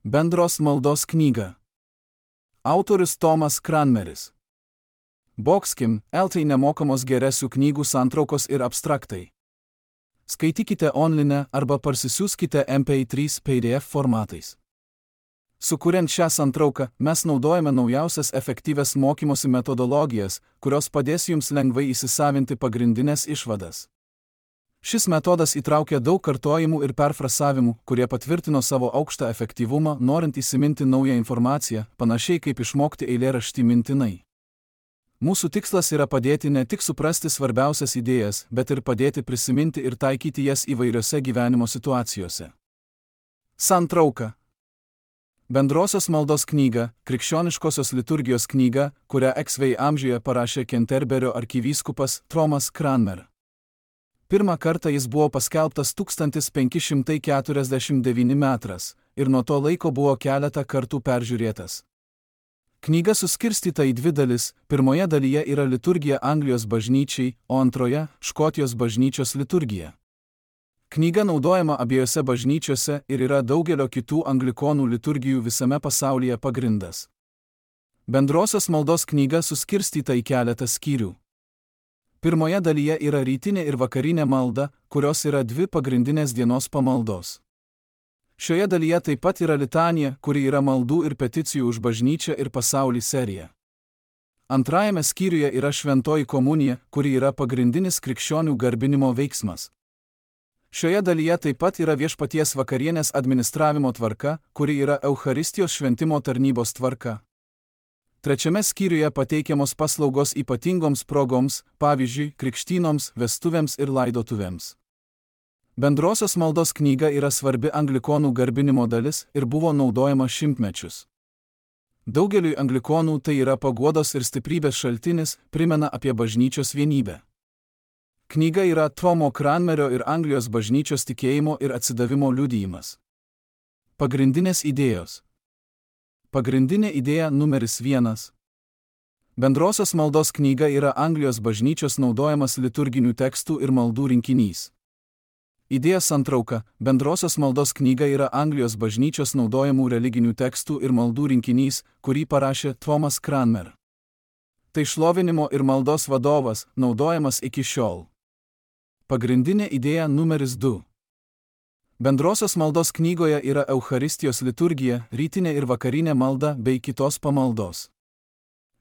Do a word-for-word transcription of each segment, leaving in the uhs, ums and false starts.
Bendros maldos knyga. Autorius Tomas Cranmeris. Boxkim, eltai nemokamos geresių knygų santraukos ir abstraktai. Skaitykite online arba parsisiųskite M P trys P D F formatais. Sukuriant šią santrauką, mes naudojame naujausias efektyvias mokymosi metodologijas, kurios padės jums lengvai įsisavinti pagrindinės išvadas. Šis metodas įtraukia daug kartojimų ir perfrasavimų, kurie patvirtino savo aukštą efektyvumą, norint įsiminti naują informaciją, panašiai kaip išmokti eilėraštį mintinai. Mūsų tikslas yra padėti ne tik suprasti svarbiausias idėjas, bet ir padėti prisiminti ir taikyti jas įvairiose gyvenimo situacijose. Santrauka. Bendrosios maldos knyga, krikščioniškosios liturgijos knyga, kurią X V amžiuje parašė Kenterberio arkivyskupas Tomas Cranmer. Pirmą kartą jis buvo paskelbtas tūkstantis penki šimtai keturiasdešimt devintais metais ir nuo to laiko buvo keletą kartų peržiūrėtas. Knyga suskirstyta į dvi dalis, pirmoje dalyje yra liturgija Anglijos bažnyčiai, o antroje – Škotijos bažnyčios liturgija. Knyga naudojama abiejose bažnyčiose ir yra daugelio kitų anglikonų liturgijų visame pasaulyje pagrindas. Bendrosios maldos knyga suskirstyta į keletą skyrių. Pirmoje dalyje yra rytinė ir vakarinė malda, kurios yra dvi pagrindinės dienos pamaldos. Šioje dalyje taip pat yra litanija, kuri yra maldų ir peticijų už bažnyčią ir pasaulį serija. Antrajame skyriuje yra šventoji komunija, kuri yra pagrindinis krikščionių garbinimo veiksmas. Šioje dalyje taip pat yra viešpaties vakarienės administravimo tvarka, kuri yra Eucharistijos šventimo tarnybos tvarka. Trečiame skyriuje pateikiamos paslaugos ypatingoms progoms, pavyzdžiui, krikštynoms, vestuvėms ir laidotuvėms. Bendrosios maldos knyga yra svarbi anglikonų garbinimo dalis ir buvo naudojama šimtmečius. Daugeliui anglikonų tai yra paguodos ir stiprybės šaltinis, primena apie bažnyčios vienybę. Knyga yra Tomo Cranmerio ir Anglijos bažnyčios tikėjimo ir atsidavimo liudijimas. Pagrindinės idėjos. Pagrindinė idėja numeris vienas. Bendrosios maldos knyga yra Anglijos bažnyčios naudojamas liturginių tekstų ir maldų rinkinys. Idėja santrauka. Bendrosios maldos knyga yra Anglijos bažnyčios naudojamų religinių tekstų ir maldų rinkinys, kurį parašė Tomas Cranmer. Tai šlovinimo ir maldos vadovas, naudojamas iki šiol. Pagrindinė idėja numeris du. Bendrosios maldos knygoje yra Eucharistijos liturgija, rytinė ir vakarinė malda bei kitos pamaldos.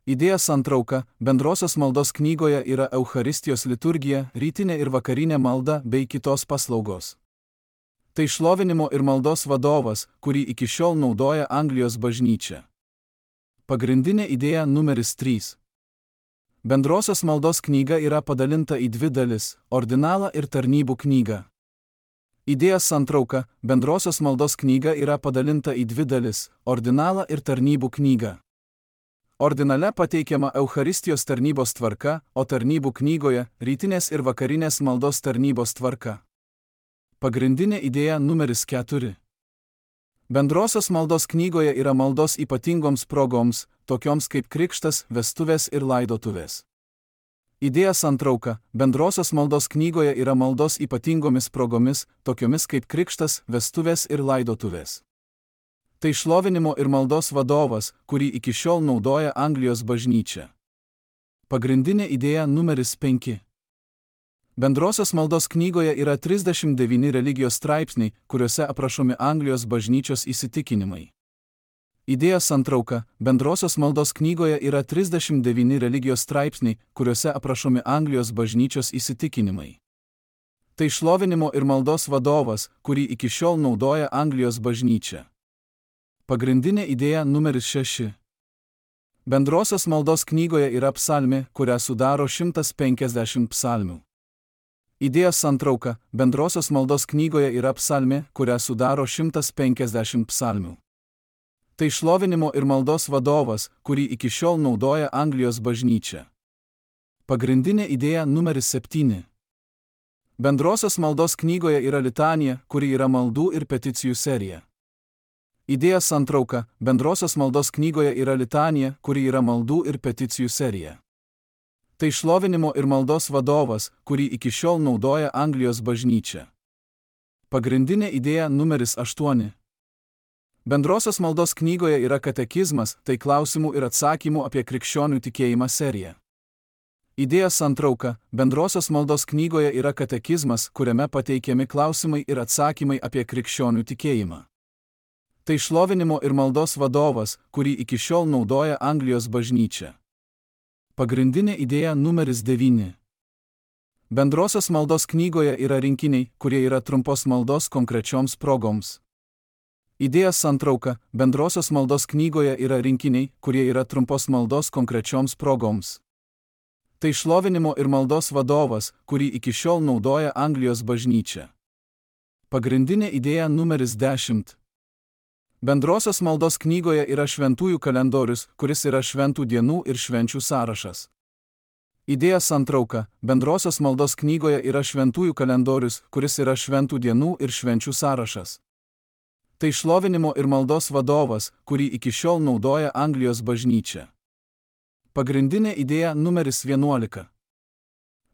Idėja santrauka. Bendrosios maldos knygoje yra Eucharistijos liturgija, rytinė ir vakarinė malda bei kitos paslaugos. Tai šlovinimo ir maldos vadovas, kurį iki šiol naudoja Anglijos bažnyčia. Pagrindinė idėja numeris trys. Bendrosios maldos knyga yra padalinta į dvi dalis – ordinalą ir tarnybų knygą. Idėja santrauka. Bendrosios maldos knyga yra padalinta į dvi dalis – ordinalą ir tarnybų knygą. Ordinale pateikiama Eucharistijos tarnybos tvarka, o tarnybų knygoje – rytinės ir vakarinės maldos tarnybos tvarka. Pagrindinė idėja numeris keturi. Bendrosios maldos knygoje yra maldos ypatingoms progoms, tokioms kaip krikštas, vestuvės ir laidotuvės. Idėja santrauka. Bendrosios maldos knygoje yra maldos ypatingomis progomis, tokiomis kaip krikštas, vestuvės ir laidotuvės. Tai šlovinimo ir maldos vadovas, kurį iki šiol naudoja Anglijos bažnyčia. Pagrindinė idėja numeris penki. Bendrosios maldos knygoje yra trisdešimt devyni religijos straipsniai, kuriuose aprašomi Anglijos bažnyčios įsitikinimai. Idėja santrauka. Bendrosios maldos knygoje yra trisdešimt devyni religijos straipsniai, kuriuose aprašomi Anglijos bažnyčios įsitikinimai. Tai šlovinimo ir maldos vadovas, kurį iki šiol naudoja Anglijos bažnyčia. Pagrindinė idėja numeris šeši. Bendrosios maldos knygoje yra psalmė, kurią sudaro šimtas penkiasdešimt psalmių. Idėja santrauka. Bendrosios maldos knygoje yra psalmė, kurią sudaro šimtas penkiasdešimt psalmių. Tai šlovinimo ir maldos vadovas, kurį iki šiol naudoja Anglijos bažnyčia. Pagrindinė idėja numeris septyni. Bendrosios maldos knygoje yra litanija, kuri yra maldų ir peticijų serija. Idėja santrauka. Bendrosios maldos knygoje yra litanija, kuri yra maldų ir peticijų serija. Tai šlovinimo ir maldos vadovas, kurį iki šiol naudoja Anglijos bažnyčia. Pagrindinė idėja numeris aštuoni. Bendrosios maldos knygoje yra katekizmas, tai klausimų ir atsakymų apie krikščionių tikėjimą serija. Idėja santrauka. Bendrosios maldos knygoje yra katekizmas, kuriame pateikiami klausimai ir atsakymai apie krikščionių tikėjimą. Tai šlovinimo ir maldos vadovas, kurį iki šiol naudoja Anglijos bažnyčia. Pagrindinė idėja numeris devyni. Bendrosios maldos knygoje yra rinkiniai, kurie yra trumpos maldos konkrečioms progoms. Idėja santrauka. Bendrosios maldos knygoje yra rinkiniai, kurie yra trumpos maldos konkrečioms progoms. Tai šlovinimo ir maldos vadovas, kurį iki šiol naudoja Anglijos bažnyčia. Pagrindinė idėja numeris dešimt. Bendrosios maldos knygoje yra šventųjų kalendorius, kuris yra šventų dienų ir švenčių sąrašas. Idėja santrauka. Bendrosios maldos knygoje yra šventųjų kalendorius, kuris yra šventų dienų ir švenčių sąrašas. Tai šlovinimo ir maldos vadovas, kurį iki šiol naudoja Anglijos bažnyčia. Pagrindinė idėja numeris vienuolika.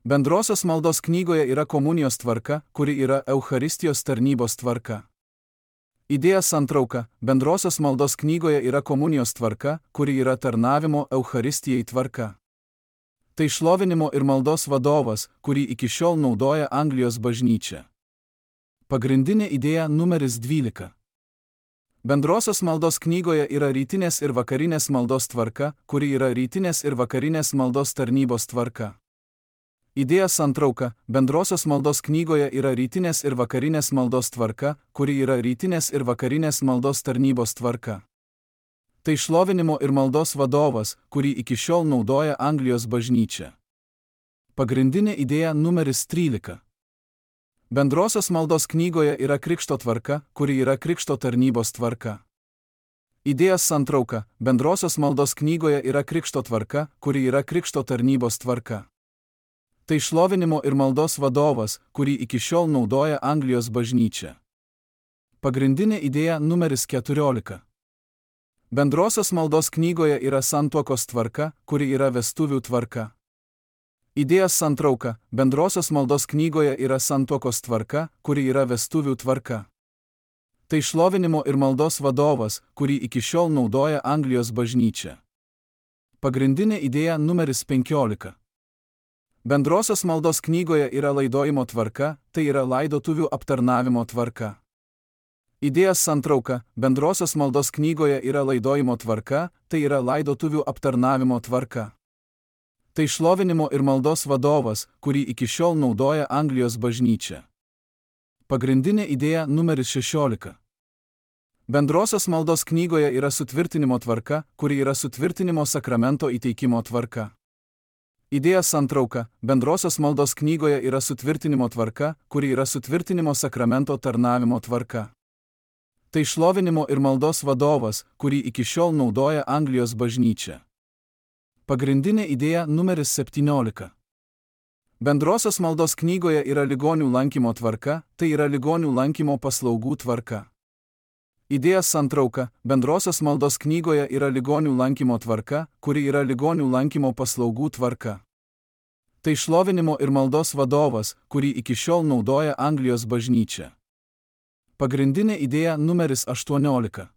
Bendrosios maldos knygoje yra komunijos tvarka, kuri yra Eucharistijos tarnybos tvarka. Idėja santrauka. Bendrosios maldos knygoje yra komunijos tvarka, kuri yra tarnavimo Eucharistijai tvarka. Tai šlovinimo ir maldos vadovas, kurį iki šiol naudoja Anglijos bažnyčia. Pagrindinė idėja numeris dvylika. Bendrosios maldos knygoje yra rytinės ir vakarinės maldos tvarka, kuri yra rytinės ir vakarinės maldos tarnybos tvarka. Idėja santrauka. Bendrosios maldos knygoje yra rytinės ir vakarinės maldos tvarka, kuri yra rytinės ir vakarinės maldos tarnybos tvarka. Tai šlovinimo ir maldos vadovas, kurį iki šiol naudoja Anglijos bažnyčia. Pagrindinė idėja numeris trylika. Bendrosios maldos knygoje yra krikšto tvarka, kuri yra krikšto tarnybos tvarka. Idėja santrauka. Bendrosios maldos knygoje yra krikšto tvarka, kuri yra krikšto tarnybos tvarka. Tai šlovinimo ir maldos vadovas, kurį iki šiol naudoja Anglijos bažnyčia. Pagrindinė idėja numeris keturiolika. Bendrosios maldos knygoje yra santuokos tvarka, kuri yra vestuvių tvarka. Idėja santrauka. Bendrosios maldos knygoje yra santuokos tvarka, kuri yra vestuvių tvarka. Tai šlovinimo ir maldos vadovas, kurį iki šiol naudoja Anglijos bažnyčia. Pagrindinė idėja numeris penkiolika. Bendrosios maldos knygoje yra laidojimo tvarka, tai yra laidotuvių aptarnavimo tvarka. Idėja santrauka. Bendrosios maldos knygoje yra laidojimo tvarka, tai yra laidotuvių aptarnavimo tvarka. Tai šlovinimo ir maldos vadovas, kurį iki šiol naudoja Anglijos bažnyčia. Pagrindinė idėja numeris šešiolika. Bendrosios maldos knygoje yra sutvirtinimo tvarka, kuri yra sutvirtinimo sakramento įteikimo tvarka. Idėja santrauka. Bendrosios maldos knygoje yra sutvirtinimo tvarka, kuri yra sutvirtinimo sakramento tarnavimo tvarka. Tai šlovinimo ir maldos vadovas, kurį iki šiol naudoja Anglijos bažnyčia. Pagrindinė idėja numeris septyniolika. Bendrosios maldos knygoje yra ligonių lankymo tvarka, tai yra ligonių lankymo paslaugų tvarka. Idėja santrauka. Bendrosios maldos knygoje yra ligonių lankymo tvarka, kuri yra ligonių lankymo paslaugų tvarka. Tai šlovinimo ir maldos vadovas, kurį iki šiol naudoja Anglijos bažnyčia. Pagrindinė idėja numeris aštuoniolika.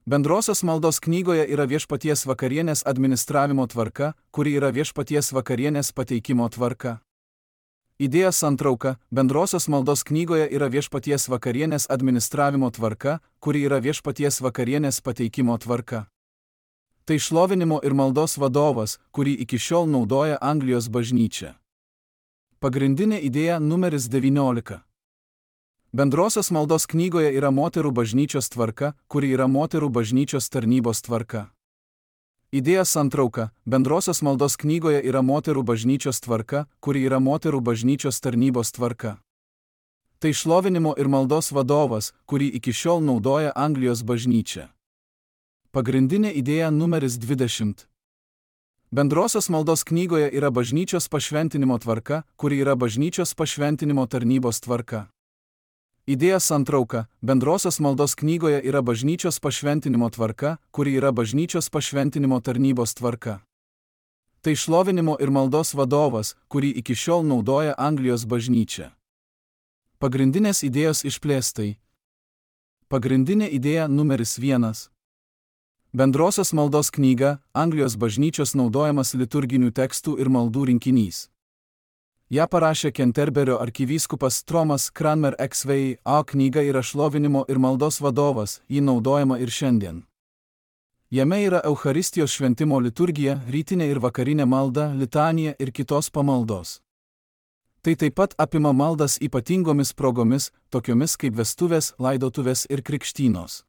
Bendrosios maldos knygoje yra viešpaties vakarienės administravimo tvarka, kuri yra viešpaties vakarienės pateikimo tvarka. Idėja santrauka. Bendrosios maldos knygoje yra viešpaties vakarienės administravimo tvarka, kuri yra viešpaties vakarienės pateikimo tvarka. Tai šlovinimo ir maldos vadovas, kurį iki šiol naudoja Anglijos bažnyčia. Pagrindinė idėja numeris devyniolika. Bendrosios maldos knygoje yra moterų bažnyčios tvarka, kuri yra moterų bažnyčios tarnybos tvarka. Idėja santrauka. Bendrosios maldos knygoje yra moterų bažnyčios tvarka, kuri yra moterų bažnyčios tarnybos tvarka. Tai šlovinimo ir maldos vadovas, kurį iki šiol naudoja Anglijos bažnyčia. Pagrindinė idėja numeris dvidešimt. Bendrosios maldos knygoje yra bažnyčios pašventinimo tvarka, kuri yra bažnyčios pašventinimo tarnybos tvarka. Idėja santrauka. Bendrosios maldos knygoje yra bažnyčios pašventinimo tvarka, kuri yra bažnyčios pašventinimo tarnybos tvarka. Tai šlovinimo ir maldos vadovas, kurį iki šiol naudoja Anglijos bažnyčia. Pagrindinės idėjos išplėstai. Pagrindinė idėja numeris vienas. Bendrosios maldos knyga – Anglijos bažnyčios naudojamas liturginių tekstų ir maldų rinkinys. Ja parašė Kenterberio arkivyskupas Thomas Cranmer X V A. Knyga yra šlovinimo ir maldos vadovas, ji naudojama ir šiandien. Jame yra Eucharistijos šventimo liturgija, rytinė ir vakarinė malda, litanija ir kitos pamaldos. Tai taip pat apima maldas ypatingomis progomis, tokiomis kaip vestuvės, laidotuvės ir krikštynos.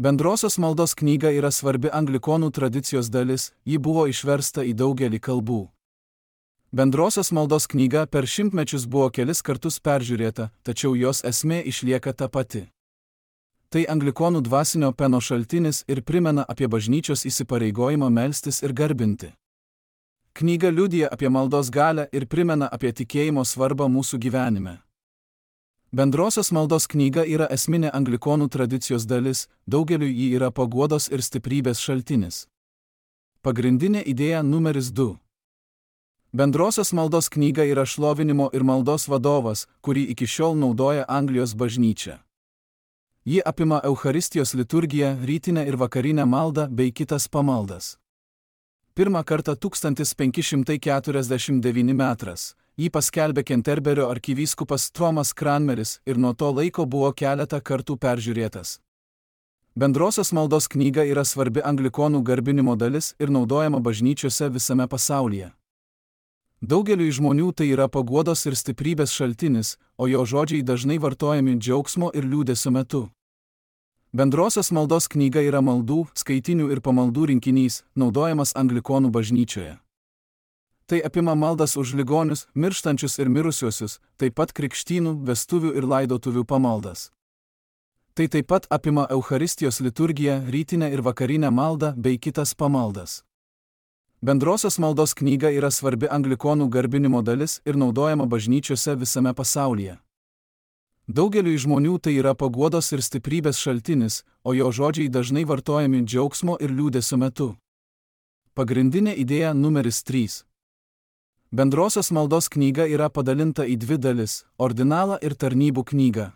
Bendrosios maldos knyga yra svarbi anglikonų tradicijos dalis, ji buvo išversta į daugelį kalbų. Bendrosios maldos knyga per šimtmečius buvo kelis kartus peržiūrėta, tačiau jos esmė išlieka ta pati. Tai anglikonų dvasinio peno šaltinis ir primena apie bažnyčios įsipareigojimą melstis ir garbinti. Knyga liudija apie maldos galią ir primena apie tikėjimo svarbą mūsų gyvenime. Bendrosios maldos knyga yra esminė anglikonų tradicijos dalis, daugeliu ji yra paguodos ir stiprybės šaltinis. Pagrindinė idėja numeris du. Bendrosios maldos knyga yra šlovinimo ir maldos vadovas, kurį iki šiol naudoja Anglijos bažnyčia. Ji apima Eucharistijos liturgiją, rytinę ir vakarinę maldą bei kitas pamaldas. Pirmą kartą tūkstantis penki šimtai keturiasdešimt devinti metras. Jį paskelbė Kenterberio arkivyskupas Thomas Cranmeris ir nuo to laiko buvo keletą kartų peržiūrėtas. Bendrosios maldos knyga yra svarbi anglikonų garbinimo dalis ir naudojama bažnyčiose visame pasaulyje. Daugeliui žmonių tai yra paguodos ir stiprybės šaltinis, o jo žodžiai dažnai vartojami džiaugsmo ir liūdesio metu. Bendrosios maldos knyga yra maldų, skaitinių ir pamaldų rinkinys, naudojamas anglikonų bažnyčioje. Tai apima maldas už ligonius, mirštančius ir mirusiuosius, taip pat krikštynų, vestuvių ir laidotuvių pamaldas. Tai taip pat apima Eucharistijos liturgiją, rytinę ir vakarinę maldą bei kitas pamaldas. Bendrosios maldos knyga yra svarbi anglikonų garbinimo dalis ir naudojama bažnyčiose visame pasaulyje. Daugeliui žmonių tai yra paguodos ir stiprybės šaltinis, o jo žodžiai dažnai vartojami džiaugsmo ir liūdesio metu. Pagrindinė idėja numeris trys. Bendrosios maldos knyga yra padalinta į dvi dalis – ordinalą ir tarnybų knygą.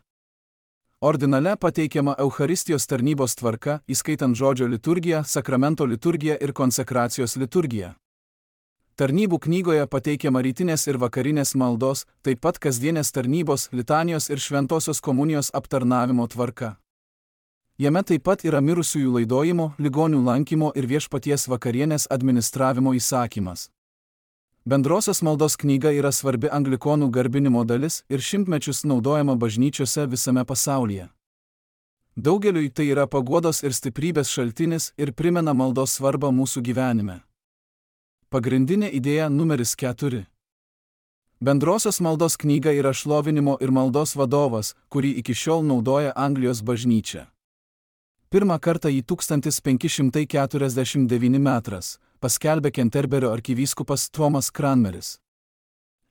Ordinale pateikiama Eucharistijos tarnybos tvarka, įskaitant žodžio liturgiją, sakramento liturgiją ir konsekracijos liturgiją. Tarnybų knygoje pateikiama rytinės ir vakarinės maldos, taip pat kasdienės tarnybos, litanijos ir šventosios komunijos aptarnavimo tvarka. Jame taip pat yra mirusiųjų laidojimo, ligonių lankymo ir viešpaties vakarienės administravimo įsakymas. Bendrosios maldos knyga yra svarbi anglikonų garbinimo dalis ir šimtmečius naudojama bažnyčiose visame pasaulyje. Daugeliui tai yra paguodos ir stiprybės šaltinis ir primena maldos svarbą mūsų gyvenime. Pagrindinė idėja numeris keturi. Bendrosios maldos knyga yra šlovinimo ir maldos vadovas, kurį iki šiol naudoja Anglijos bažnyčia. Pirmą kartą jį tūkstantis penki šimtai keturiasdešimt devinti metras. Paskelbė Kenterberio arkivyskupas Thomas Cranmeris.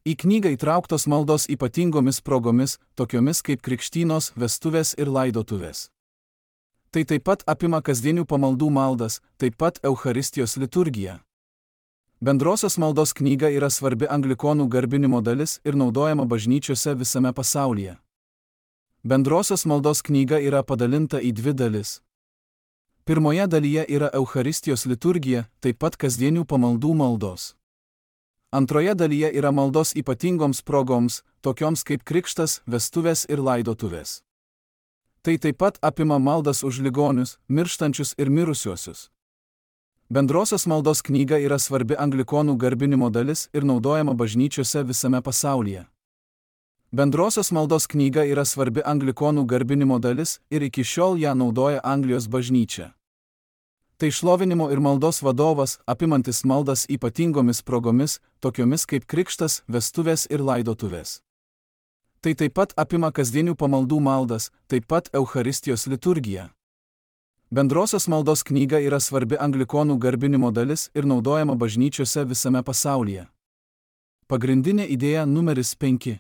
Į knygą įtrauktos maldos ypatingomis progomis, tokiomis kaip krikštynos, vestuvės ir laidotuvės. Tai taip pat apima kasdienių pamaldų maldas, taip pat Eucharistijos liturgiją. Bendrosios maldos knyga yra svarbi anglikonų garbinimo dalis ir naudojama bažnyčiose visame pasaulyje. Bendrosios maldos knyga yra padalinta į dvi dalis. Pirmoje dalyje yra Eucharistijos liturgija, taip pat kasdienių pamaldų maldos. Antroje dalyje yra maldos ypatingoms progoms, tokioms kaip krikštas, vestuvės ir laidotuvės. Tai taip pat apima maldas už ligonius, mirštančius ir mirusiuosius. Bendrosios maldos knyga yra svarbi anglikonų garbinimo dalis ir naudojama bažnyčiose visame pasaulyje. Bendrosios maldos knyga yra svarbi anglikonų garbinimo dalis ir iki šiol ją naudoja Anglijos bažnyčia. Tai šlovinimo ir maldos vadovas, apimantis maldas ypatingomis progomis, tokiomis kaip krikštas, vestuvės ir laidotuvės. Tai taip pat apima kasdienių pamaldų maldas, taip pat Eucharistijos liturgiją. Bendrosios maldos knyga yra svarbi anglikonų garbinimo dalis ir naudojama bažnyčiose visame pasaulyje. Pagrindinė idėja numeris penki.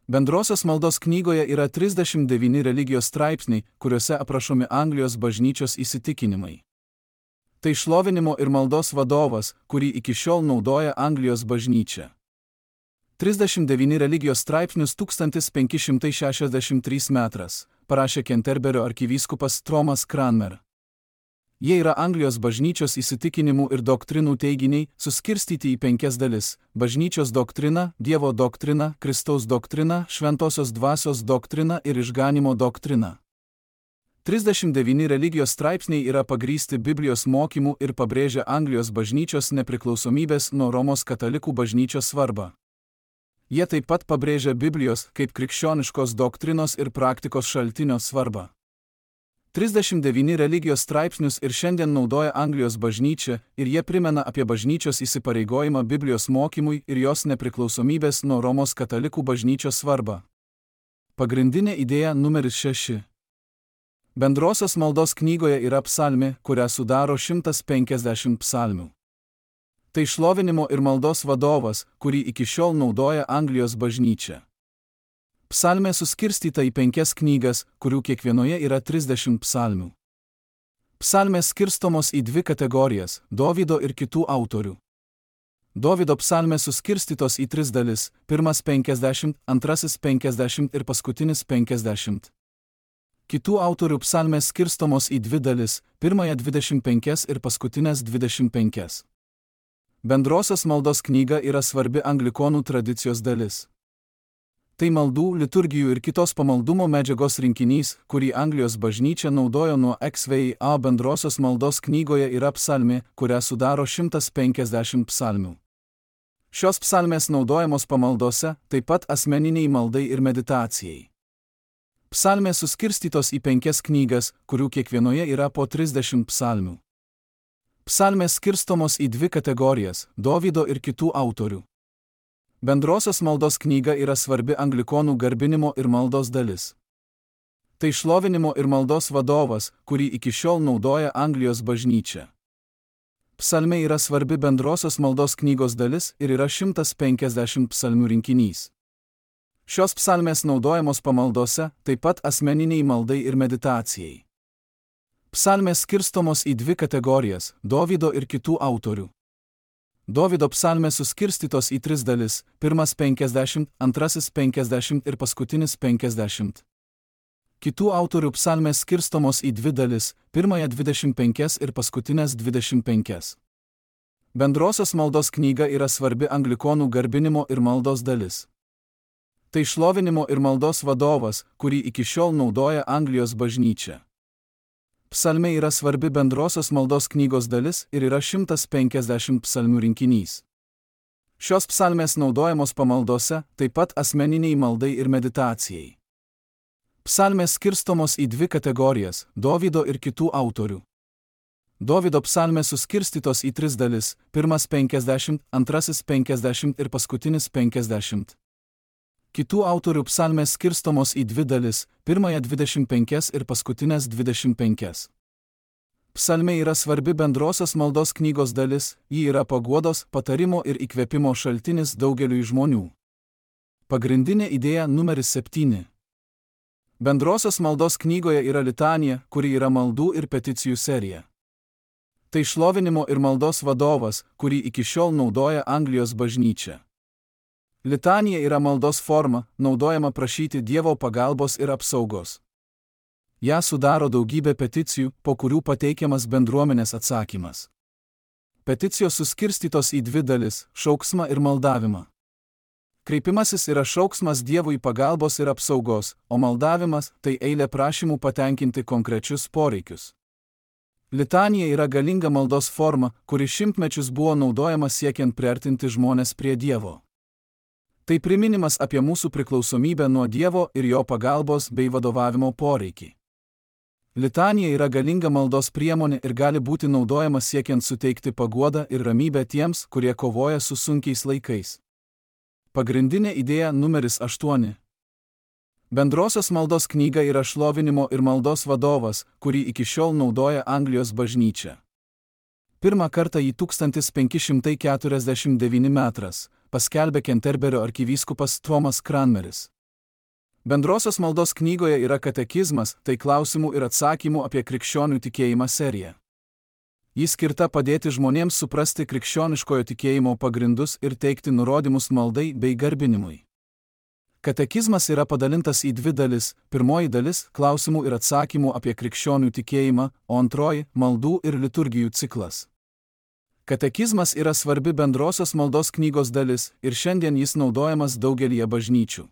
Bendrosios maldos knygoje yra trisdešimt devyni religijos straipsniai, kuriuose aprašomi Anglijos bažnyčios įsitikinimai. Tai šlovinimo ir maldos vadovas, kurį iki šiol naudoja Anglijos bažnyčia. trisdešimt devyni religijos straipsnius tūkstantis penki šimtai šešiasdešimt trys metras, parašė Kenterberio arkivyskupas Thomas Cranmer. Jie yra Anglijos bažnyčios įsitikinimų ir doktrinų teiginiai, suskirstyti į penkias dalis – bažnyčios doktrina, Dievo doktrina, Kristaus doktrina, šventosios dvasios doktrina ir išganimo doktrina. trisdešimt devyni religijos straipsniai yra pagrįsti Biblijos mokymu ir pabrėžia Anglijos bažnyčios nepriklausomybės nuo Romos katalikų bažnyčios svarbą. Jie taip pat pabrėžia Biblijos kaip krikščioniškos doktrinos ir praktikos šaltinio svarbą. trisdešimt devyni religijos straipsnius ir šiandien naudoja Anglijos bažnyčia ir jie primena apie bažnyčios įsipareigojimą Biblijos mokymui ir jos nepriklausomybės nuo Romos katalikų bažnyčios svarbą. Pagrindinė idėja numeris šeši. Bendrosios maldos knygoje yra psalmė, kurią sudaro šimtas penkiasdešimt psalmių. Tai šlovinimo ir maldos vadovas, kurį iki šiol naudoja Anglijos bažnyčia. Psalmė suskirstyta į penkias knygas, kurių kiekvienoje yra trisdešimt psalmių. Psalmės skirstomos į dvi kategorijas – Dovydo ir kitų autorių. Dovydo psalmės suskirstytos į tris dalis – pirmas penkiasdešimt, antrasis penkiasdešimt ir paskutinis penkiasdešimt. Kitų autorių psalmės skirstomos į dvi dalis – pirmąją dvidešimt penkias ir paskutinės dvidešimt penkias. Bendrosios maldos knyga yra svarbi anglikonų tradicijos dalis. Tai maldų, liturgijų ir kitos pamaldumo medžiagos rinkinys, kurį Anglijos bažnyčia naudojo nuo X V I A. Bendrosios maldos knygoje yra psalmė, kurią sudaro šimtas penkiasdešimt psalmių. Šios psalmės naudojamos pamaldose, taip pat asmeniniai maldai ir meditacijai. Psalmės suskirstytos į penkias knygas, kurių kiekvienoje yra po trisdešimt psalmių. Psalmės skirstomos į dvi kategorijas – Dovydo ir kitų autorių. Bendrosios maldos knyga yra svarbi anglikonų garbinimo ir maldos dalis. Tai šlovinimo ir maldos vadovas, kurį iki šiol naudoja Anglijos bažnyčia. Psalmė yra svarbi bendrosios maldos knygos dalis ir yra šimtas penkiasdešimt psalmių rinkinys. Šios psalmės naudojamos pamaldose, taip pat asmeniniai maldai ir meditacijai. Psalmės skirstomos į dvi kategorijas – Dovydo ir kitų autorių. Dovydo psalmės suskirstytos į tris dalis – pirmas penkiasdešimt, antrasis penkiasdešimt ir paskutinis penkiasdešimt. Kitų autorių psalmės skirstomos į dvi dalis – pirmąją dvidešimt penkias ir paskutinės dvidešimt penkias. Bendrosios maldos knyga yra svarbi anglikonų garbinimo ir maldos dalis. Tai šlovinimo ir maldos vadovas, kurį iki šiol naudoja Anglijos bažnyčia. Psalmė yra svarbi bendrosios maldos knygos dalis ir yra šimtas penkiasdešimt psalmių rinkinys. Šios psalmės naudojamos pamaldose, taip pat asmeniniai maldai ir meditacijai. Psalmės skirstomos į dvi kategorijas – Dovydo ir kitų autorių. Dovydo psalmės suskirstytos į tris dalis – pirmas penkiasdešimt, antrasis penkiasdešimt ir paskutinis penkiasdešimt. Kitų autorių psalmės skirstomos į dvi dalis – pirmąją dvidešimt penkias ir paskutinės dvidešimt penkias. Psalmė yra svarbi bendrosios maldos knygos dalis, ji yra paguodos, patarimo ir įkvėpimo šaltinis daugeliui žmonių. Pagrindinė idėja numeris septyni. Bendrosios maldos knygoje yra litanija, kuri yra maldų ir peticijų serija. Tai šlovinimo ir maldos vadovas, kurį iki šiol naudoja Anglijos bažnyčia. Litanija yra maldos forma, naudojama prašyti Dievo pagalbos ir apsaugos. Ja sudaro daugybė peticijų, po kurių pateikiamas bendruomenės atsakymas. Peticijos suskirstytos į dvi dalis – šauksmą ir maldavimą. Kreipimasis yra šauksmas Dievui pagalbos ir apsaugos, o maldavimas – tai eilė prašymų patenkinti konkrečius poreikius. Litanija yra galinga maldos forma, kuri šimtmečius buvo naudojama siekiant priartinti žmones prie Dievo. Tai priminimas apie mūsų priklausomybę nuo Dievo ir jo pagalbos bei vadovavimo poreikį. Litanija yra galinga maldos priemonė ir gali būti naudojama siekiant suteikti paguodą ir ramybę tiems, kurie kovoja su sunkiais laikais. Pagrindinė idėja numeris aštuoni. Bendrosios maldos knyga yra šlovinimo ir maldos vadovas, kurį iki šiol naudoja Anglijos bažnyčia. Pirmą kartą jį tūkstantis penki šimtai keturiasdešimt devyni metras paskelbė Kenterberio arkivyskupas Thomas Cranmeris. Bendrosios maldos knygoje yra katekizmas, tai klausimų ir atsakymų apie krikščionių tikėjimą serija. Ji skirta padėti žmonėms suprasti krikščioniškojo tikėjimo pagrindus ir teikti nurodymus maldai bei garbinimui. Katekizmas yra padalintas į dvi dalis. Pirmoji dalis – klausimų ir atsakymų apie krikščionių tikėjimą, o antroji – maldų ir liturgijų ciklas. Katekizmas yra svarbi bendrosios maldos knygos dalis ir šiandien jis naudojamas daugelyje bažnyčių.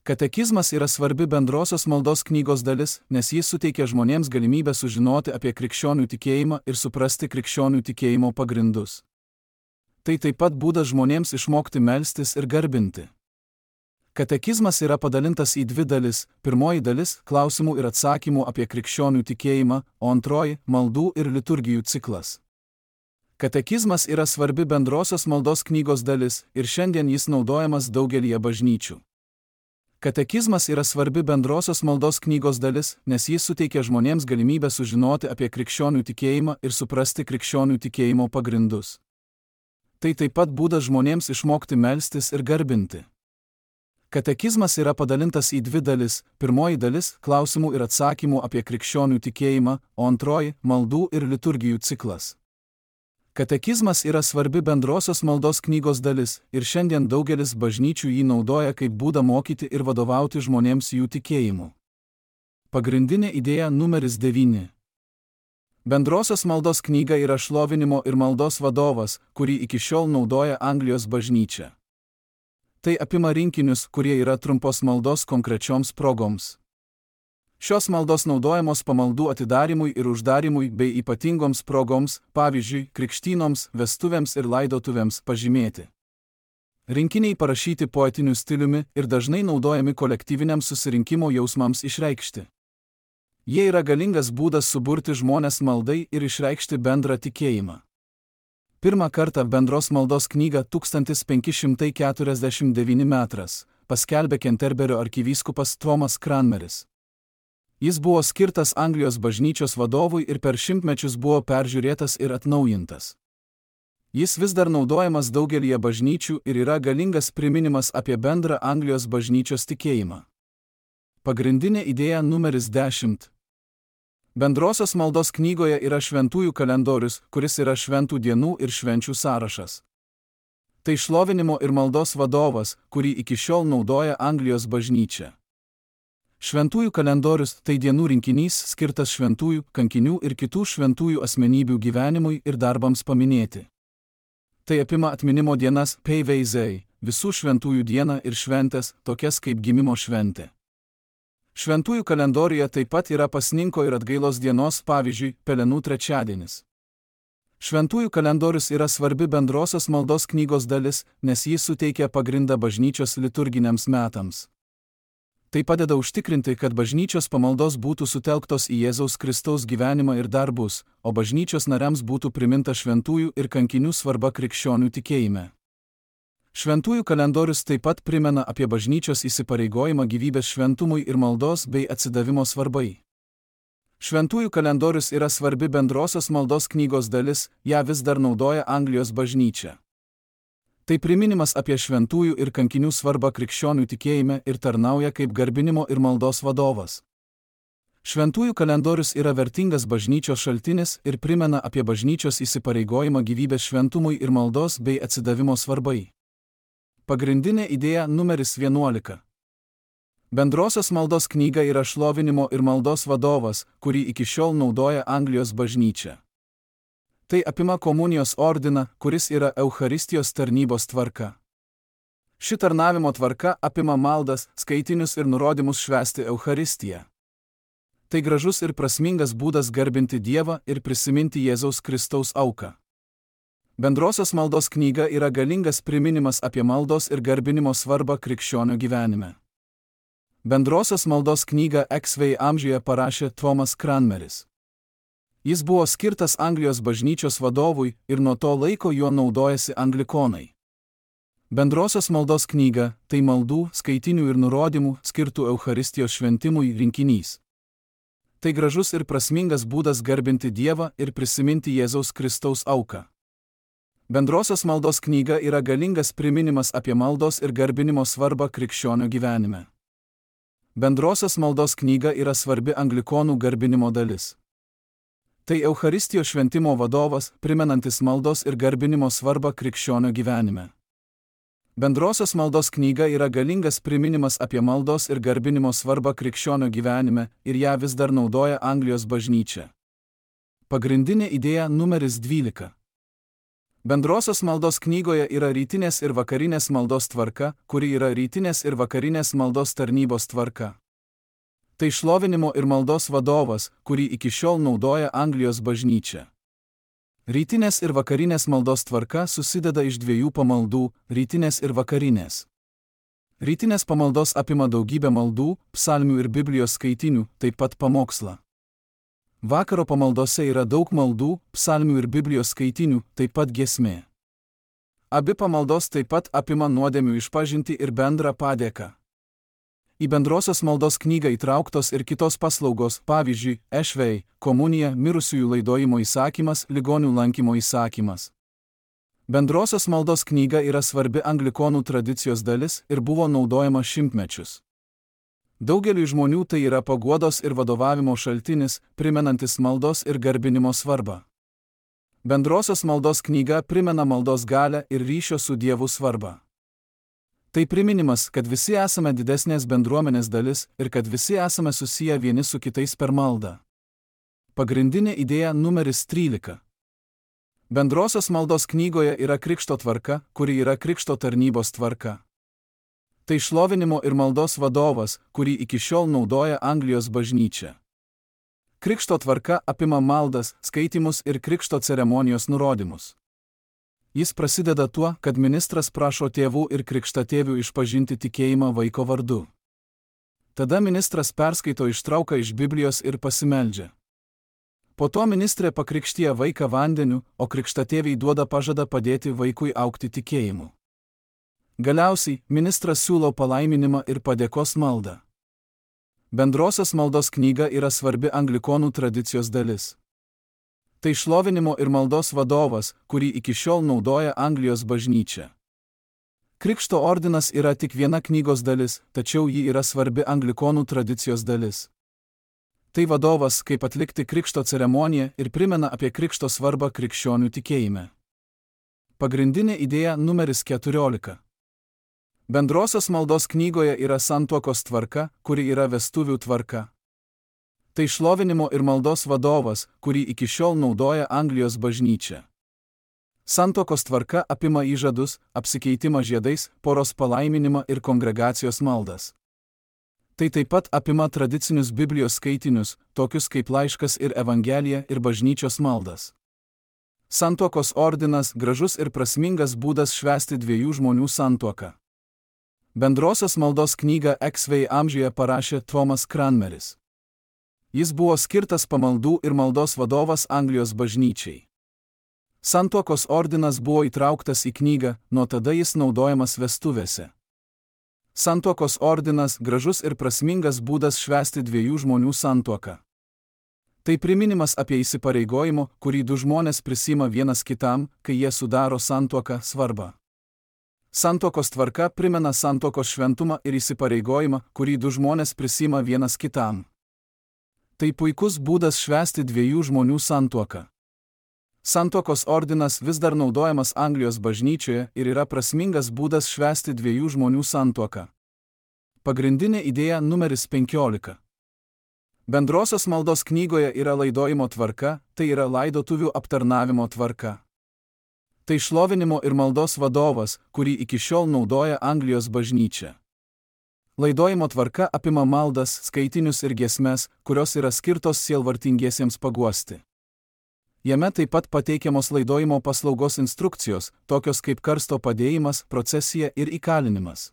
Katekizmas yra svarbi bendrosios maldos knygos dalis, nes jis suteikia žmonėms galimybę sužinoti apie krikščionių tikėjimą ir suprasti krikščionių tikėjimo pagrindus. Tai taip pat būdas žmonėms išmokti melstis ir garbinti. Katekizmas yra padalintas į dvi dalis. Pirmoji dalis – klausimų ir atsakymų apie krikščionių tikėjimą, o antroji – maldų ir liturgijų ciklas. Katekizmas yra svarbi bendrosios maldos knygos dalis ir šiandien jis naudojamas daugelyje bažnyčių. Katekizmas yra svarbi bendrosios maldos knygos dalis, nes jis suteikia žmonėms galimybę sužinoti apie krikščionių tikėjimą ir suprasti krikščionių tikėjimo pagrindus. Tai taip pat būdas žmonėms išmokti melstis ir garbinti. Katekizmas yra padalintas į dvi dalis. Pirmoji dalis – klausimų ir atsakymų apie krikščionių tikėjimą, o antroji – maldų ir liturgijų ciklas. Katekizmas yra svarbi bendrosios maldos knygos dalis ir šiandien daugelis bažnyčių jį naudoja kaip būdą mokyti ir vadovauti žmonėms jų tikėjimu. Pagrindinė idėja numeris devyni. Bendrosios maldos knyga yra šlovinimo ir maldos vadovas, kurį iki šiol naudoja Anglijos bažnyčia. Tai apima rinkinius, kurie yra trumpos maldos konkrečioms progoms. Šios maldos naudojamos pamaldų atidarimui ir uždarimui bei ypatingoms progoms, pavyzdžiui, krikštynoms, vestuvėms ir laidotuvėms pažymėti. Rinkiniai parašyti poetiniu stiliumi ir dažnai naudojami kolektyviniams susirinkimo jausmams išreikšti. Jie yra galingas būdas suburti žmones maldai ir išreikšti bendrą tikėjimą. Pirmą kartą bendros maldos knygą tūkstantis penki šimtai keturiasdešimt devyni metrais paskelbė Kenterberio arkivyskupas Tomas Cranmeris. Jis buvo skirtas Anglijos bažnyčios vadovui ir per šimtmečius buvo peržiūrėtas ir atnaujintas. Jis vis dar naudojamas daugelyje bažnyčių ir yra galingas priminimas apie bendrą Anglijos bažnyčios tikėjimą. Pagrindinė idėja numeris dešimt. Bendrosios maldos knygoje yra šventųjų kalendorius, kuris yra šventų dienų ir švenčių sąrašas. Tai šlovinimo ir maldos vadovas, kurį iki šiol naudoja Anglijos bažnyčia. Šventųjų kalendorius – tai dienų rinkinys skirtas šventųjų, kankinių ir kitų šventųjų asmenybių gyvenimui ir darbams paminėti. Tai apima atminimo dienas, Peiveizei, visų šventųjų dieną ir šventės, tokias kaip gimimo šventė. Šventųjų kalendoriuje taip pat yra pasninko ir atgailos dienos, pavyzdžiui, Pelenų trečiadienis. Šventųjų kalendorius yra svarbi bendrosios maldos knygos dalis, nes jis suteikia pagrindą bažnyčios liturginiams metams. Tai padeda užtikrinti, kad bažnyčios pamaldos būtų sutelktos į Jėzaus Kristaus gyvenimą ir darbus, o bažnyčios nariams būtų priminta šventųjų ir kankinių svarba krikščionių tikėjime. Šventųjų kalendorius taip pat primena apie bažnyčios įsipareigojimą gyvybės šventumui ir maldos bei atsidavimo svarbai. Šventųjų kalendorius yra svarbi bendrosios maldos knygos dalis, ją vis dar naudoja Anglijos bažnyčia. Tai priminimas apie šventųjų ir kankinių svarbą krikščionių tikėjime ir tarnauja kaip garbinimo ir maldos vadovas. Šventųjų kalendorius yra vertingas bažnyčios šaltinis ir primena apie bažnyčios įsipareigojimą gyvybės šventumui ir maldos bei atsidavimo svarbai. Pagrindinė idėja numeris vienuolika. Bendrosios maldos knyga yra šlovinimo ir maldos vadovas, kurį iki šiol naudoja Anglijos bažnyčia. Tai apima komunijos ordiną, kuris yra Eucharistijos tarnybos tvarka. Ši tarnavimo tvarka apima maldas, skaitinius ir nurodymus švęsti Eucharistiją. Tai gražus ir prasmingas būdas garbinti Dievą ir prisiminti Jėzaus Kristaus auką. Bendrosios maldos knyga yra galingas priminimas apie maldos ir garbinimo svarbą krikščionio gyvenime. Bendrosios maldos knygą X V amžiuje parašė Tomas Cranmeris. Jis buvo skirtas Anglijos bažnyčios vadovui ir nuo to laiko juo naudojasi anglikonai. Bendrosios maldos knyga – tai maldų, skaitinių ir nurodymų skirtų Eucharistijos šventimui rinkinys. Tai gražus ir prasmingas būdas garbinti Dievą ir prisiminti Jėzaus Kristaus auką. Bendrosios maldos knyga yra galingas priminimas apie maldos ir garbinimo svarbą krikščionio gyvenime. Bendrosios maldos knyga yra svarbi anglikonų garbinimo dalis. Tai Eucharistijos šventimo vadovas, primenantis maldos ir garbinimo svarbą krikščionio gyvenime. Bendrosios maldos knyga yra galingas priminimas apie maldos ir garbinimo svarbą krikščionio gyvenime ir ją vis dar naudoja Anglijos bažnyčia. Pagrindinė idėja numeris dvylika. Bendrosios maldos knygoje yra rytinės ir vakarinės maldos tvarka, kuri yra rytinės ir vakarinės maldos tarnybos tvarka. Tai šlovinimo ir maldos vadovas, kurį iki šiol naudoja Anglijos bažnyčia. Rytinės ir vakarinės maldos tvarka susideda iš dviejų pamaldų – rytinės ir vakarinės. Rytinės pamaldos apima daugybę maldų, psalmių ir Biblijos skaitinių, taip pat pamokslą. Vakaro pamaldose yra daug maldų, psalmių ir Biblijos skaitinių, taip pat giesmė. Abi pamaldos taip pat apima nuodėmių išpažintį ir bendrą padėką. Į bendrosios maldos knygą įtrauktos ir kitos paslaugos, pavyzdžiui, ešvei, komunija, mirusiųjų laidojimo įsakymas, ligonių lankymo įsakymas. Bendrosios maldos knyga yra svarbi anglikonų tradicijos dalis ir buvo naudojama šimtmečius. Daugeliui žmonių tai yra paguodos ir vadovavimo šaltinis, primenantis maldos ir garbinimo svarbą. Bendrosios maldos knyga primena maldos galią ir ryšio su Dievu svarbą. Tai priminimas, kad visi esame didesnės bendruomenės dalis ir kad visi esame susiję vieni su kitais per maldą. Pagrindinė idėja numeris trylika. Bendrosios maldos knygoje yra krikšto tvarka, kuri yra krikšto tarnybos tvarka. Tai šlovinimo ir maldos vadovas, kurį iki šiol naudoja Anglijos bažnyčia. Krikšto tvarka apima maldas, skaitymus ir krikšto ceremonijos nurodymus. Jis prasideda tuo, kad ministras prašo tėvų ir krikštatėvių išpažinti tikėjimą vaiko vardu. Tada ministras perskaito ištrauką iš Biblijos ir pasimeldžia. Po to ministrė pakrikštija vaiką vandeniu, o krikštatėviai duoda pažadą padėti vaikui augti tikėjimu. Galiausiai, ministras siūlo palaiminimą ir padėkos maldą. Bendrosios maldos knyga yra svarbi anglikonų tradicijos dalis. Tai šlovinimo ir maldos vadovas, kurį iki šiol naudoja Anglijos bažnyčia. Krikšto ordinas yra tik viena knygos dalis, tačiau ji yra svarbi anglikonų tradicijos dalis. Tai vadovas, kaip atlikti krikšto ceremoniją ir primena apie krikšto svarbą krikščionių tikėjime. Pagrindinė idėja numeris keturiolika. Bendrosios maldos knygoje yra santuokos tvarka, kuri yra vestuvių tvarka. Tai šlovinimo ir maldos vadovas, kurį iki šiol naudoja Anglijos bažnyčia. Santuokos tvarka apima įžadus, apsikeitimą žiedais, poros palaiminimą ir kongregacijos maldas. Tai taip pat apima tradicinius Biblijos skaitinius, tokius kaip laiškas ir evangelija ir bažnyčios maldas. Santuokos ordinas gražus ir prasmingas būdas švęsti dviejų žmonių santuoką. Bendrosios maldos knygą Eksvei amžiuje parašė Thomas Cranmeris. Jis buvo skirtas pamaldų ir maldos vadovas Anglijos bažnyčiai. Santuokos ordinas buvo įtrauktas į knygą, nuo tada jis naudojamas vestuvėse. Santuokos ordinas gražus ir prasmingas būdas švęsti dviejų žmonių santuoką. Tai priminimas apie įsipareigojimo, kurį du žmonės prisima vienas kitam, kai jie sudaro santuoką, svarbą. Santuokos tvarka primena santuokos šventumą ir įsipareigojimą, kurį du žmonės prisima vienas kitam. Tai puikus būdas švęsti dviejų žmonių santuoką. Santuokos ordinas vis dar naudojamas Anglijos bažnyčioje ir yra prasmingas būdas švęsti dviejų žmonių santuoką. Pagrindinė idėja numeris penkiolika. Bendrosios maldos knygoje yra laidojimo tvarka, tai yra laidotuvių aptarnavimo tvarka. Tai šlovinimo ir maldos vadovas, kurį iki šiol naudoja Anglijos bažnyčia. Laidojimo tvarka apima maldas, skaitinius ir giesmes, kurios yra skirtos sielvartingiesiems paguosti. Jame taip pat pateikiamos laidojimo paslaugos instrukcijos, tokios kaip karsto padėjimas, procesija ir įkalinimas.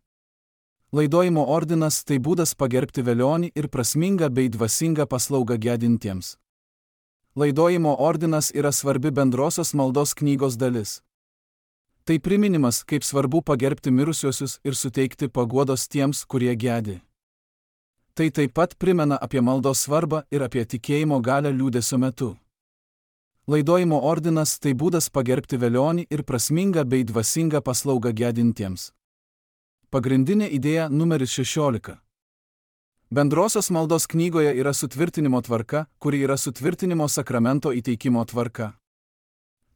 Laidojimo ordinas tai būdas pagerbti velionį ir prasmingą bei dvasingą paslaugą gedintiems. Laidojimo ordinas yra svarbi bendrosios maldos knygos dalis. Tai priminimas, kaip svarbu pagerbti mirusiuosius ir suteikti paguodos tiems, kurie gedi. Tai taip pat primena apie maldos svarbą ir apie tikėjimo galią liūdesio metu. Laidojimo ordinas tai būdas pagerbti velionį ir prasmingą bei dvasingą paslaugą gedintiems. Pagrindinė idėja numeris šešiolika. Bendrosios maldos knygoje yra sutvirtinimo tvarka, kuri yra sutvirtinimo sakramento įteikimo tvarka.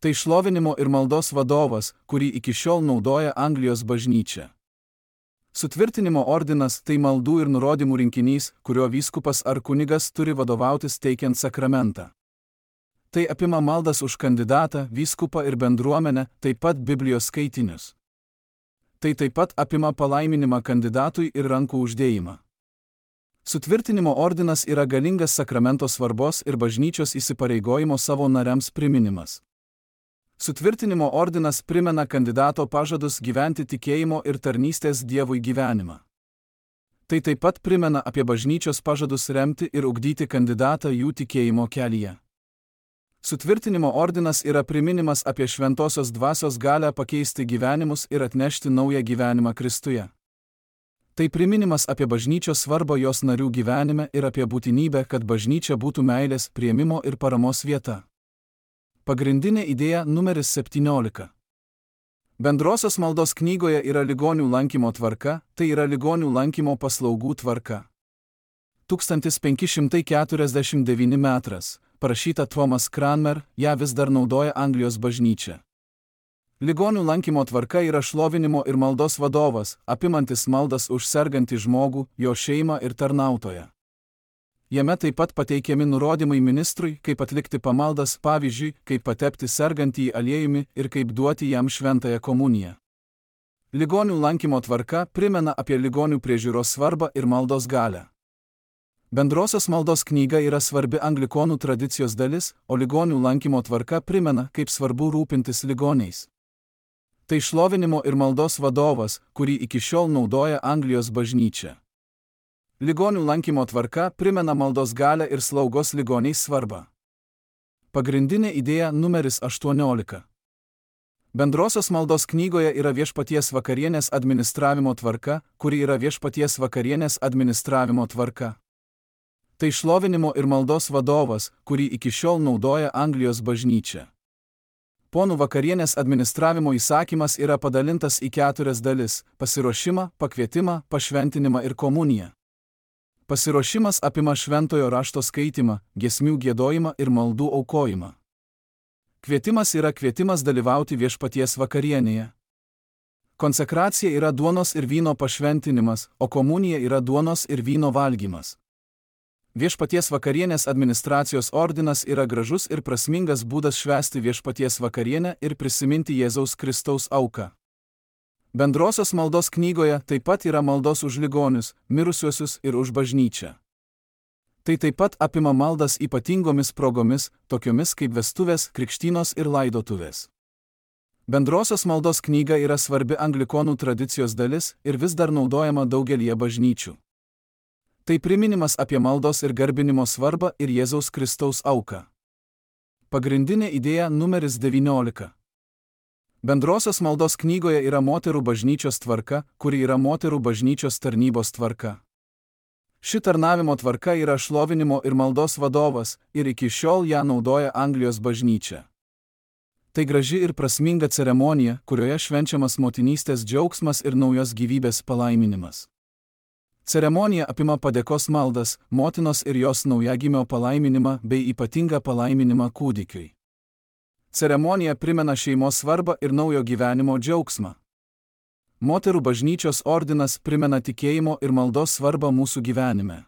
Tai šlovinimo ir maldos vadovas, kurį iki šiol naudoja Anglijos bažnyčia. Sutvirtinimo ordinas tai maldų ir nurodymų rinkinys, kurio vyskupas ar kunigas turi vadovautis teikiant sakramentą. Tai apima maldas už kandidatą, vyskupą ir bendruomenę, taip pat Biblijos skaitinius. Tai taip pat apima palaiminimą kandidatui ir rankų uždėjimą. Sutvirtinimo ordinas yra galingas sakramento svarbos ir bažnyčios įsipareigojimo savo nariams priminimas. Sutvirtinimo ordinas primena kandidato pažadus gyventi tikėjimo ir tarnystės Dievui gyvenimą. Tai taip pat primena apie bažnyčios pažadus remti ir ugdyti kandidatą jų tikėjimo kelyje. Sutvirtinimo ordinas yra priminimas apie šventosios dvasios galią pakeisti gyvenimus ir atnešti naują gyvenimą Kristuje. Tai priminimas apie bažnyčios svarbą jos narių gyvenime ir apie būtinybę, kad bažnyčia būtų meilės, priėmimo ir paramos vieta. Pagrindinė idėja numeris septyniolika. Bendrosios maldos knygoje yra ligonių lankymo tvarka, tai yra ligonių lankymo paslaugų tvarka. tūkstantis penki šimtai keturiasdešimt devyni metras, parašyta Thomas Cranmer, ją vis dar naudoja Anglijos bažnyčia. Ligonių lankymo tvarka yra šlovinimo ir maldos vadovas, apimantis maldas už sergantį žmogų, jo šeimą ir tarnautoją. Jame taip pat pateikiami nurodymai ministrui, kaip atlikti pamaldas, pavyzdžiui, kaip patepti sergantįjį aliejumi ir kaip duoti jam šventąją komuniją. Ligonių lankymo tvarka primena apie ligonių priežiūros svarbą ir maldos galią. Bendrosios maldos knyga yra svarbi anglikonų tradicijos dalis, o ligonių lankymo tvarka primena, kaip svarbu rūpintis ligoniais. Tai šlovinimo ir maldos vadovas, kurį iki šiol naudoja Anglijos bažnyčia. Ligonių lankymo tvarka primena maldos galią ir slaugos ligoniais svarbą. Pagrindinė idėja numeris aštuoniolika. Bendrosios maldos knygoje yra viešpaties vakarienės administravimo tvarka, kuri yra viešpaties vakarienės administravimo tvarka. Tai šlovinimo ir maldos vadovas, kurį iki šiol naudoja Anglijos bažnyčia. Ponų vakarienės administravimo įsakymas yra padalintas į keturias dalis – pasiruošimą, pakvietimą, pašventinimą ir komuniją. Pasiruošimas apima šventojo rašto skaitimą, giesmių giedojimą ir maldų aukojimą. Kvietimas yra kvietimas dalyvauti viešpaties vakarienėje. Konsekracija yra duonos ir vyno pašventinimas, o komunija yra duonos ir vyno valgymas. Viešpaties vakarienės administracijos ordinas yra gražus ir prasmingas būdas švęsti viešpaties vakarienę ir prisiminti Jėzaus Kristaus auką. Bendrosios maldos knygoje taip pat yra maldos už ligonius, mirusiuosius ir už bažnyčią. Tai taip pat apima maldas ypatingomis progomis, tokiomis kaip vestuvės, krikštynos ir laidotuvės. Bendrosios maldos knyga yra svarbi anglikonų tradicijos dalis ir vis dar naudojama daugelyje bažnyčių. Tai priminimas apie maldos ir garbinimo svarbą ir Jėzaus Kristaus auką. Pagrindinė idėja numeris devyniolika. Bendrosios maldos knygoje yra moterų bažnyčios tvarka, kuri yra moterų bažnyčios tarnybos tvarka. Ši tarnavimo tvarka yra šlovinimo ir maldos vadovas ir iki šiol ją naudoja Anglijos bažnyčia. Tai graži ir prasminga ceremonija, kurioje švenčiamas motinystės džiaugsmas ir naujos gyvybės palaiminimas. Ceremonija apima padėkos maldas, motinos ir jos naujagimio palaiminimą bei ypatingą palaiminimą kūdikiui. Ceremonija primena šeimos svarbą ir naujo gyvenimo džiaugsmą. Moterų bažnyčios ordinas primena tikėjimo ir maldos svarbą mūsų gyvenime.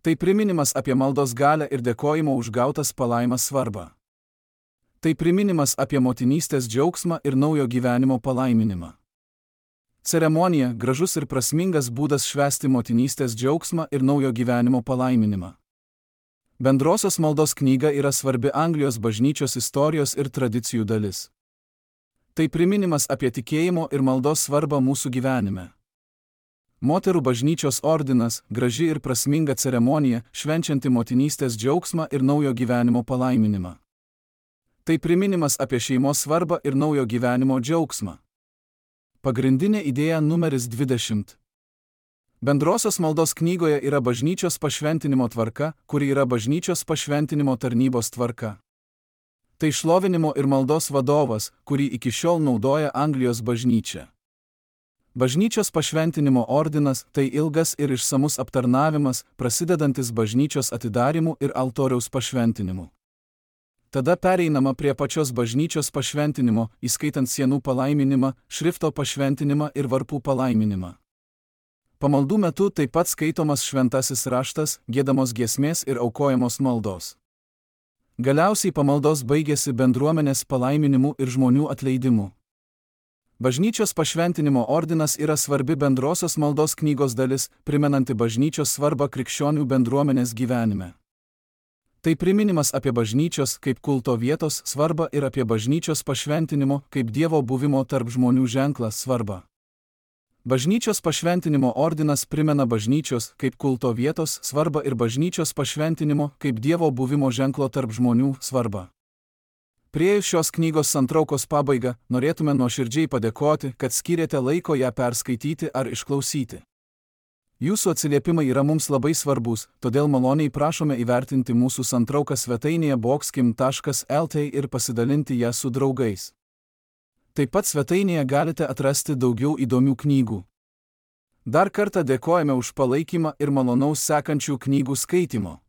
Tai priminimas apie maldos galią ir dėkojimo už gautas palaimas svarbą. Tai priminimas apie motinystės džiaugsmą ir naujo gyvenimo palaiminimą. Ceremonija – gražus ir prasmingas būdas švęsti motinystės džiaugsmą ir naujo gyvenimo palaiminimą. Bendrosios maldos knyga yra svarbi Anglijos bažnyčios istorijos ir tradicijų dalis. Tai priminimas apie tikėjimo ir maldos svarbą mūsų gyvenime. Moterų bažnyčios ordinas – graži ir prasminga ceremonija, švenčianti motinystės džiaugsmą ir naujo gyvenimo palaiminimą. Tai priminimas apie šeimos svarbą ir naujo gyvenimo džiaugsmą. Pagrindinė idėja numeris dvidešimt. Bendrosios maldos knygoje yra bažnyčios pašventinimo tvarka, kuri yra bažnyčios pašventinimo tarnybos tvarka. Tai šlovinimo ir maldos vadovas, kurį iki šiol naudoja Anglijos bažnyčia. Bažnyčios pašventinimo ordinas – tai ilgas ir išsamus aptarnavimas, prasidedantis bažnyčios atidarimu ir altoriaus pašventinimu. Tada pereinama prie pačios bažnyčios pašventinimo, įskaitant sienų palaiminimą, šrifto pašventinimą ir varpų palaiminimą. Pamaldų metu taip pat skaitomas šventasis raštas, giedamos giesmės ir aukojamos maldos. Galiausiai pamaldos baigėsi bendruomenės palaiminimu ir žmonių atleidimu. Bažnyčios pašventinimo ordinas yra svarbi bendrosios maldos knygos dalis, primenanti bažnyčios svarbą krikščionių bendruomenės gyvenime. Tai priminimas apie bažnyčios kaip kulto vietos svarbą ir apie bažnyčios pašventinimo kaip Dievo buvimo tarp žmonių ženklą svarbą. Bažnyčios pašventinimo ordinas primena bažnyčios kaip kulto vietos svarbą ir bažnyčios pašventinimo kaip Dievo buvimo ženklo tarp žmonių svarbą. Priėjus šios knygos santraukos pabaigą, norėtume nuoširdžiai padėkoti, kad skyrėte laiko ją perskaityti ar išklausyti. Jūsų atsiliepimai yra mums labai svarbus, todėl maloniai prašome įvertinti mūsų santrauką svetainėje bokskim taškas lt ir pasidalinti ją su draugais. Taip pat svetainėje galite atrasti daugiau įdomių knygų. Dar kartą dėkojame už palaikymą ir malonaus sekančių knygų skaitimo.